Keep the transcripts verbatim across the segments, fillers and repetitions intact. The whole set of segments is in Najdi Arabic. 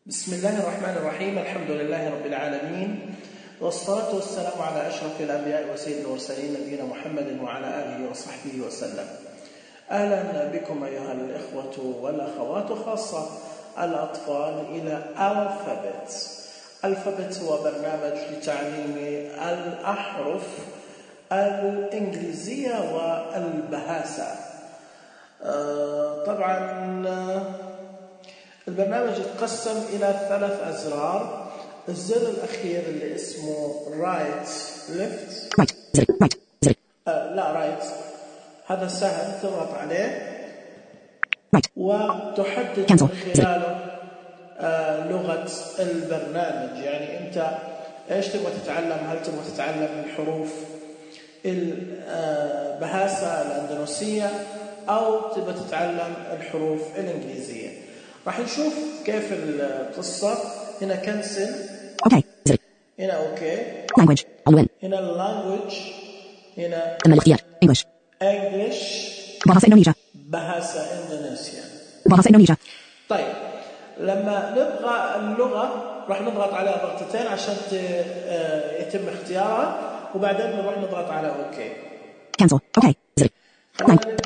بسم الله الرحمن الرحيم. الحمد لله رب العالمين، والصلاة والسلام على أشرف الأنبياء وسيد المرسلين نبينا محمد وعلى آله وصحبه وسلم. أهلا بكم أيها الإخوة والأخوات، خاصة الأطفال، إلى Alphabet. Alphabet هو برنامج لتعليم الأحرف الإنجليزية والبهاسة. طبعا البرنامج يتقسم إلى ثلاث أزرار. الزر الأخير اللي اسمه right left right زر right زر آه لا right هذا سهل، تضغط عليه right وتحدد cancel من خلاله آه لغة البرنامج. يعني أنت إيش تبغى تتعلم؟ هل تبغى تتعلم الحروف البهاسة الأندونيسية أو تبغى تتعلم الحروف الإنجليزية؟ راح نشوف كيف القصة. هنا كنسل، اوكي زر، هنا اوكي، language عنوان، هنا language، هنا تم الاختيار English English بهاسة إندونيسيا بهاسة إندونيسيا بهاسة إندونيسيا. طيب لما نبغى اللغة راح نضغط على ضغطتين عشان يتم اختيارها، وبعدين نروح نضغط على اوكي cancel اوكي زر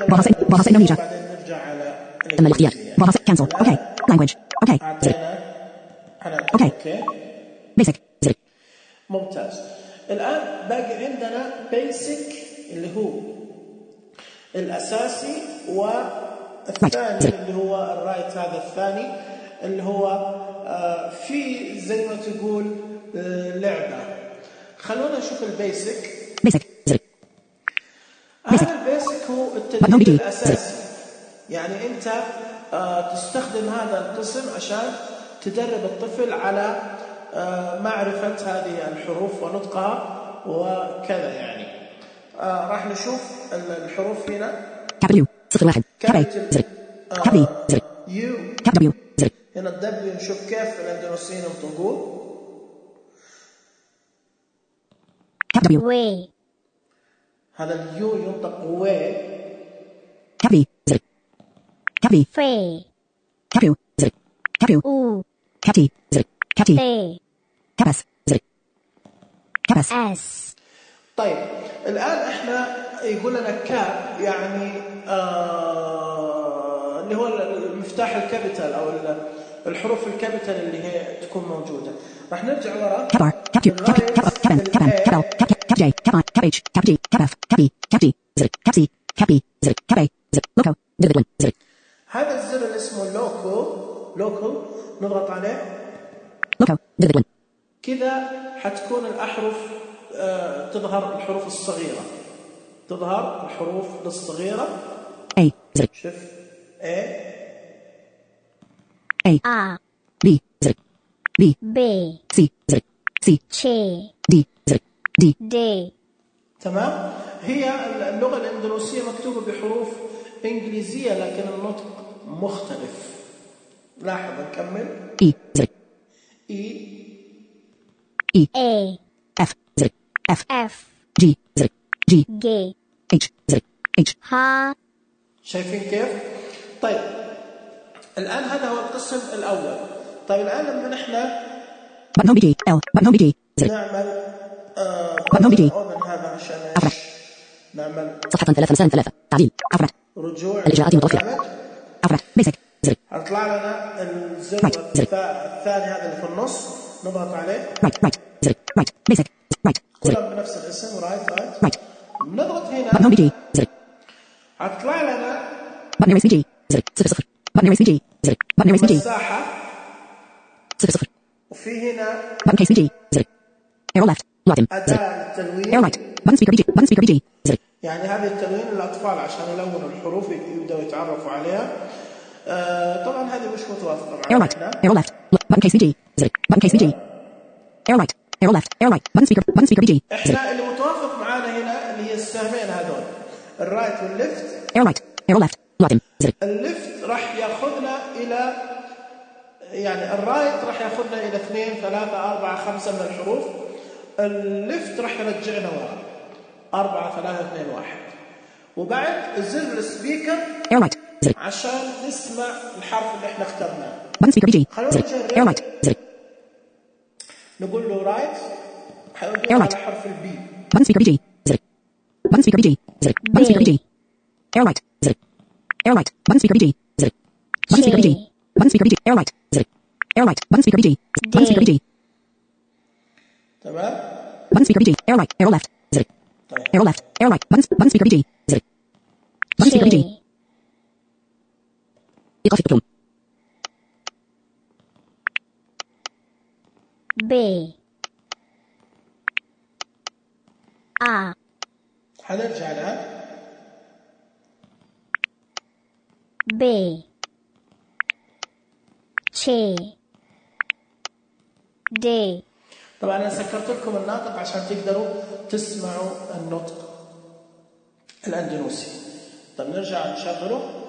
بهاسة بهاسة إندونيسيا، بعدين نرجع على تم الاختيار بهاسة cancel اوكي language اوكي زر اوكي اوكي basic زر. ممتاز. الآن باقي عندنا basic اللي هو الأساسي، والثاني اللي هو الرايت هذا الثاني اللي هو آه في زي ما تقول آه لعبة. خلونا نشوف البيسك. basic زر. هذا البيسك هو التدريب الأساسي. يعني أنت آه تستخدم هذا القسم عشان تدرب الطفل على آه معرفة هذه الحروف ونطقها وكذا. يعني آه راح نشوف الحروف هنا. capital U صفر واحد capital زر capital زر يو capital W زر. هنا الدبليو نشوف كيف الأندونيسيين ينطقوه. capital W way هذا اليو ينطق وي. capital زر capital free capital زر capital u capital زر capital they capas زر capas s. طيب الآن احنا يقول لنا كاب، يعني آه اللي هو المفتاح الكابيتال أو الحروف الكابيتال اللي هي تكون موجودة. راح نرجع ورا. capital capital capital capital capital capital capital J capital cabbage capital capaf capi capi زر capsi capi زر capi زر loco دبل زر. هذا الزر اللي اسمه لوكو لوكو نضغط عليه loco دبل كذا حتكون الأحرف آه تظهر الحروف الصغيرة، تظهر الحروف الصغيرة. A زر شوف A A a B زر B b C زر C ch D زر D d. تمام. هي اللغة الإندونيسية مكتوبة بحروف إنجليزية لكن النطق مختلف. لاحظ نكمل. E زر E E a F زر F f G زر G g H زر H ha شايفين كيف؟ طيب الآن هذا هو القسم الأول. طيب الآن لما نحن button home B G L button home B G زر نعمل آه button home B G أوبن هذا عشان أفرح. إيش؟ نعمل صفحة ثلاثة مساء ثلاثة تعديل أفرح رجوع الإجراءات المتوفرة للبرنامج. أفرح basic زر هطلع لنا الزر Right. زر. الثا- الثاني هذا اللي في النص، نضغط عليه. right right زر right basic right زر كلهم بنفس الاسم رايت رايت. right نضغط button هنا home B G زر هتطلع لنا button erase B G زر صفر صفر button erase B G زر button erase B G مساحة، صفر صفر وفي هنا button case B G زر arrow left معتم زر أداة arrow التلوين. right button speaker B G button speaker B G زر يعني هذه التلوين للأطفال عشان يلونوا الحروف يبدأوا يتعرفوا عليها. آه طبعا هذه مش متوافقة arrow معنا right هنا. arrow left button case B G زر button case B G arrow right arrow left arrow right button speaker button speaker B G زر احنا اللي متوافق معنا هنا اللي هي السهمين هذول، الرايت والليفت. arrow right arrow left معتم زر الليفت راح ياخذنا الى، يعني الرايت راح ياخذنا الى اثنين ثلاثة أربعة خمسة من الحروف. الليفت راح يرجعنا ورا أربعة ثلاثة اثنين واحد. وبعد زر السبيكر arrow right زر عشان نسمع الحرف اللي احنا اخترناه. button speaker B G زر air light زر نقول له رايت حيوديه على حرف البي button speaker B G زر button speaker B G زر button speaker B G air light زر air light button speaker B G زر button speaker B G button speaker B G air light زر air light button speaker B G button speaker B G تمام button speaker B G air light arrow left زر arrow left arrow right button button speaker B G زر button speaker B G إيقاف البطلون B A حنرجع الآن B C D. طبعا أنا سكرت لكم الناطق عشان تقدروا تسمعوا النطق الأندونيسي. طب نرجع نشغله.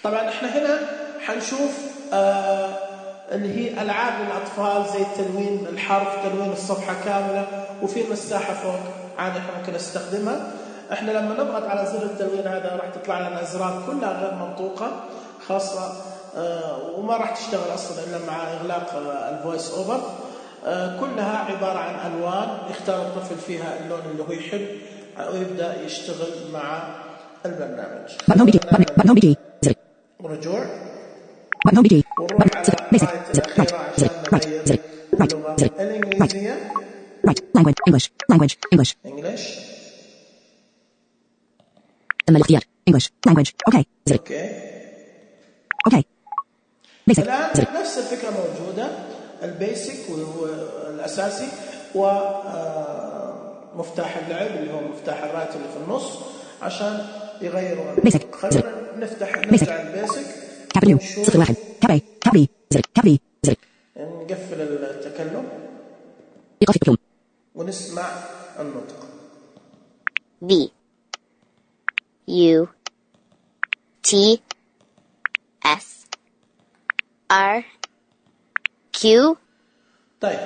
طبعا احنا هنا حنشوف آه اللي هي ألعاب للأطفال زي تلوين الحرف، تلوين الصفحة كاملة، وفي مساحة فوق عادي احنا ممكن نستخدمها. احنا لما نضغط على زر التلوين هذا راح تطلع لنا أزرار كلها غير منطوقة خاصة آه وما راح تشتغل أصلا إلا مع إغلاق آه الفويس أوفر. آه كلها عبارة عن ألوان يختار الطفل فيها اللون اللي هو يحب ويبدأ يشتغل مع البرنامج. رجوع ونروح على الآية الأخيرة عشان نغير اللغة الإنجليزية. Right. Language. English. Language. English. English. تم الاختيار. English. Language. Okay. زر. Okay. Okay. Basic. الآن زر. نفس الفكرة موجودة، البيسك والأساسي ومفتاح اللعب اللي هو مفتاح الرايت اللي في النص عشان يغيروا. Basic. خلينا نفتح نرجع البيسك. Capital U. صفر واحد. Cap A. Cap B. زر. Cap B. زر. نقفل التكلم. إيقاف البطلون. ونسمع النطق. V U T S R Q. طيب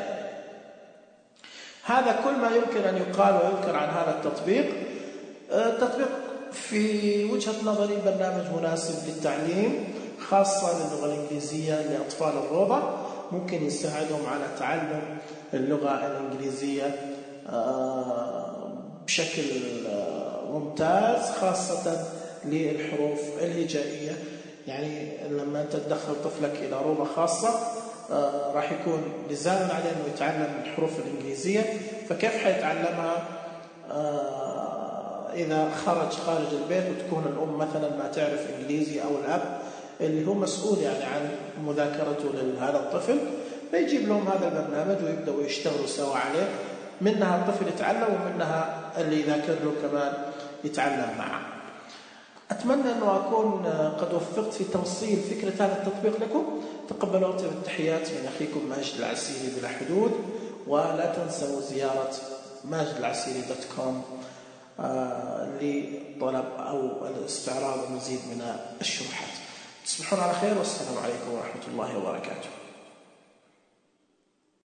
هذا كل ما يمكن أن يقال ويذكر عن هذا التطبيق. التطبيق في وجهة نظري برنامج مناسب للتعليم خاصة للغة الإنجليزية لأطفال الروضة، ممكن يساعدهم على تعلم اللغة الإنجليزية بشكل ممتاز خاصة للحروف الهجائية. يعني لما أنت تدخل طفلك إلى روضة خاصة راح يكون لزاما عليه أنه يتعلم الحروف الإنجليزية، فكيف حيتعلمها إذا خرج خارج البيت وتكون الأم مثلا ما تعرف إنجليزي أو الأب اللي هو مسؤول يعني عن مذاكرته لهذا الطفل، فيجيب لهم هذا البرنامج ويبدأوا يشتغلوا سوا عليه. منها الطفل يتعلم ومنها اللي يذاكر له كمان يتعلم معه. أتمنى أنه أكون قد وفقت في توصيل فكرة هذا التطبيق لكم. تقبلوا أطيب التحيات من أخيكم ماجد العسيري بلا حدود، ولا تنسوا زيارة ماجد العسيري دوت كوم لطلب أو الاستعراض مزيد من الشروحات. تصبحون على خير والسلام عليكم ورحمة الله وبركاته.